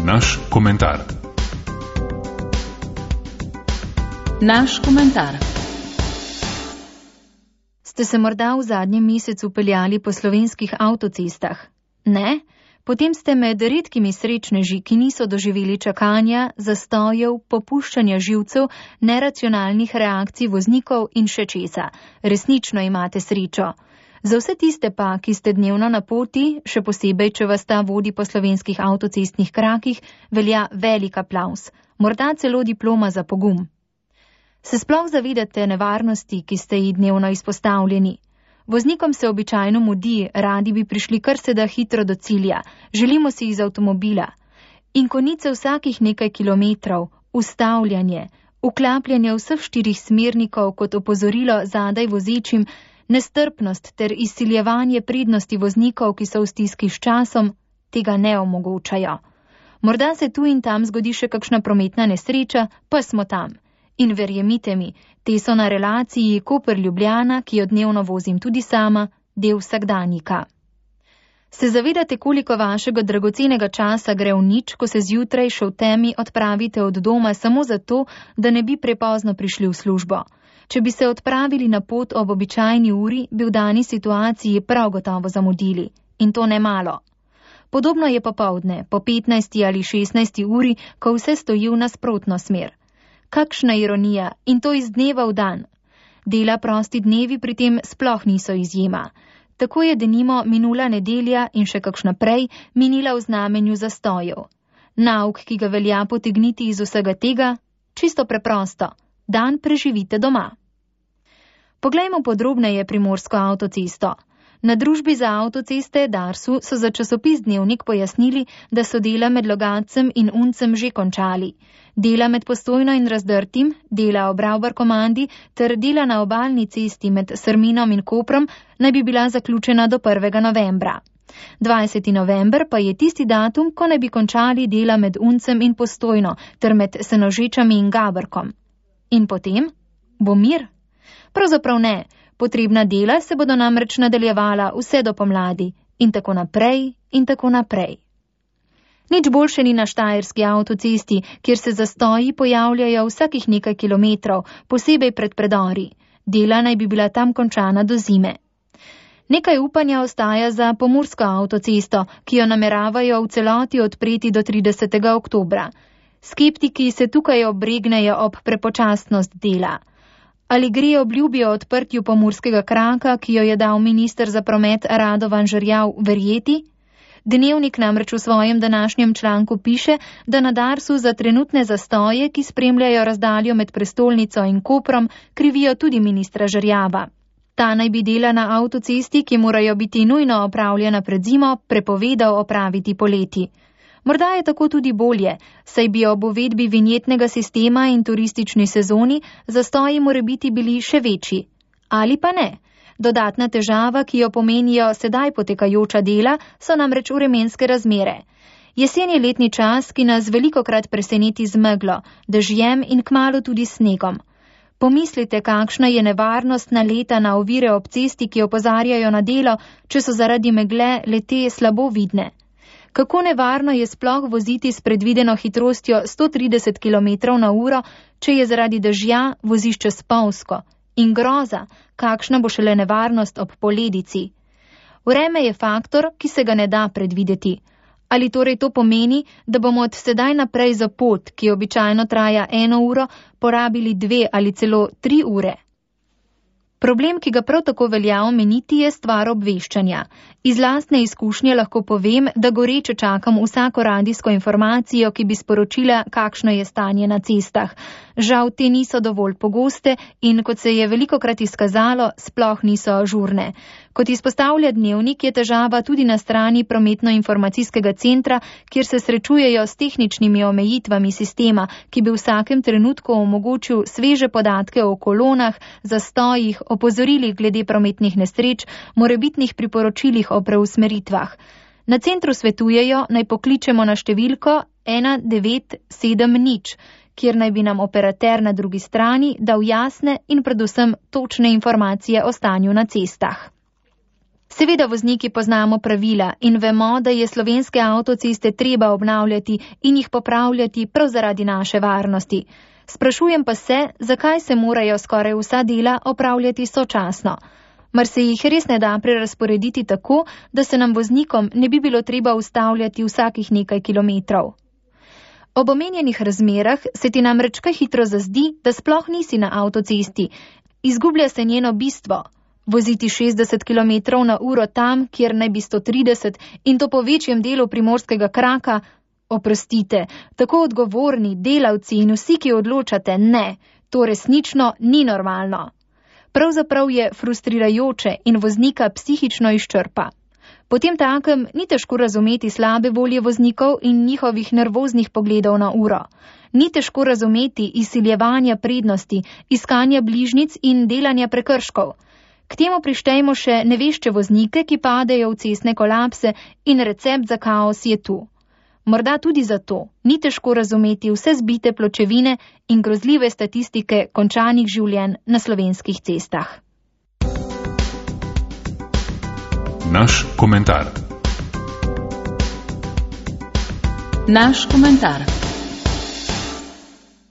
naš komentar. Naš komentar. Ste se morda v zadnjem mesecu peljali po slovenskih avtocestah? Ne? Potem ste med redkimi srečneži, ki niso doživeli čakanja, zastojev, popuščanja živcev, neracionalnih reakcij voznikov in še česa. Resnično imate srečo. Za vse tiste pa, ki ste dnevno na poti, še posebej, če vas ta vodi po slovenskih avtocestnih krakih, velja velik aplavz, morda celo diploma za pogum. Se sploh zavedate nevarnosti, ki ste ji dnevno izpostavljeni? Voznikom se običajno mudi, radi bi prišli kar se da hitro do cilja, želimo si iz avtomobila. In konice vsakih nekaj kilometrov, ustavljanje, vklapljanje vseh 4 smernikov kot opozorilo zadaj vozečim, nestrpnost ter izsiljevanje prednosti voznikov, ki so v stiski s časom, tega ne omogočajo. Morda se tu in tam zgodi še kakšna prometna nesreča, pa smo tam. In verjemite mi, te so na relaciji Koper-Ljubljana, ki jo dnevno vozim tudi sama, del vsakdanjika. Se zavedate, koliko vašega dragocenega časa gre v nič, ko se zjutraj še v temi odpravite od doma samo zato, da ne bi prepozno prišli v službo? Če bi se odpravili na pot ob običajni uri, bi v dani situaciji prav gotovo zamudili. In to ne malo. Podobno je popoldne, po 15. ali 16. uri, ko vse stoji v nasprotno smer. Kakšna ironija, in to iz dneva v dan. Dela prosti dnevi pri tem sploh niso izjema. Tako je denimo minula nedelja in še kakšna prej minila v znamenju zastojev. Nauk, ki ga velja potegniti iz vsega tega, čisto preprosto. Dan preživite doma. Poglejmo podrobneje primorsko avtocesto. Na družbi za avtoceste Darsu so za časopis Dnevnik pojasnili, da so dela med Logatcem in Uncem že končali. Dela med Postojno in Razdrtim, dela ob Ravbar-Komandi ter dela na obalni cesti med Srminom in Koprom naj bi bila zaključena do 1. novembra. 20. november pa je tisti datum, ko naj bi končali dela med Uncem in Postojno ter med Senožečami in Gaberkom. In potem? Bo mir? Pravzaprav ne. Potrebna dela se bodo namreč nadaljevala vse do pomladi in tako naprej in tako naprej. Nič boljše ni na štajerski avtocesti, kjer se zastoji pojavljajo vsakih nekaj kilometrov, posebej pred predori. Dela naj bi bila tam končana do zime. Nekaj upanja ostaja za pomursko avtocesto, ki jo nameravajo v celoti odpreti do 30. oktobra. Skeptiki se tukaj obregnejo ob prepočasnost dela. Ali gre obljubi o odprtju pomurskega kraka, ki jo je dal minister za promet Radovan Žerjav, verjeti? Dnevnik namreč v svojem današnjem članku piše, da na Darsu za trenutne zastoje, ki spremljajo razdaljo med prestolnico in Koprom, krivijo tudi ministra Žerjava. Ta naj bi dela na avtocesti, ki morajo biti nujno opravljena pred zimo, prepovedal opraviti poleti. Morda je tako tudi bolje, saj bi ob uvedbi vinjetnega sistema in turistični sezoni zastoji morebiti bili še večji. Ali pa ne. Dodatna težava, ki jo pomenijo sedaj potekajoča dela, so namreč vremenske razmere. Jesen je letni čas, ki nas velikokrat preseneti z meglo, dežjem in kmalu tudi snegom. Pomislite, kakšna je nevarnost naleta na ovire ob cesti, ki opozarjajo na delo, če so zaradi megle le-te slabo vidne. Kako nevarno je sploh voziti s predvideno hitrostjo 130 km/h, če je zaradi dežja vozišče spolzko? In groza, kakšna bo šele nevarnost ob poledici? Vreme je faktor, ki se ga ne da predvideti. Ali torej to pomeni, da bomo od sedaj naprej za pot, ki običajno traja 1 uro, porabili 2 ali celo 3 ure? Problem, ki ga prav tako velja omeniti, je stvar obveščanja. Iz lastne izkušnje lahko povem, da goreče čakam vsako radijsko informacijo, ki bi sporočila, kakšno je stanje na cestah. Žal te niso dovolj pogoste in, kot se je velikokrat izkazalo, sploh niso ažurne. Kot izpostavlja Dnevnik, je težava tudi na strani prometno-informacijskega centra, kjer se srečujejo s tehničnimi omejitvami sistema, ki bi v vsakem trenutku omogočil sveže podatke o kolonah, zastojih, opozorilih glede prometnih nesreč, morebitnih priporočilih o preusmeritvah. Na centru svetujejo, naj pokličemo na številko 1970, kjer naj bi nam operater na drugi strani dal jasne in predvsem točne informacije o stanju na cestah. Seveda vozniki poznamo pravila in vemo, da je slovenske avtoceste treba obnavljati in jih popravljati prav zaradi naše varnosti. Sprašujem pa se, zakaj se morajo skoraj vsa dela opravljati sočasno. Mar se jih res ne da prerazporediti tako, da se nam voznikom ne bi bilo treba ustavljati vsakih nekaj kilometrov? Ob omenjenih razmerah se ti namreč kaj hitro zazdi, da sploh nisi na avtocesti. Izgublja se njeno bistvo. Voziti 60 km/h tam, kjer naj bi 130 in to po večjem delu primorskega kraka. Oprostite, tako odgovorni, delavci in vsi, ki odločate, ne, to resnično ni normalno. Pravzaprav je frustrirajoče in voznika psihično izčrpa. Potem takem ni težko razumeti slabe volje voznikov in njihovih nervoznih pogledov na uro. Ni težko razumeti izsiljevanja prednosti, iskanja bližnjic in delanja prekrškov. K temu prištejmo še nevešče voznike, ki padejo v cestne kolapse in recept za kaos je tu. Morda tudi zato ni težko razumeti vse zbite pločevine in grozljive statistike končanih življenj na slovenskih cestah. Naš komentar. Naš komentar.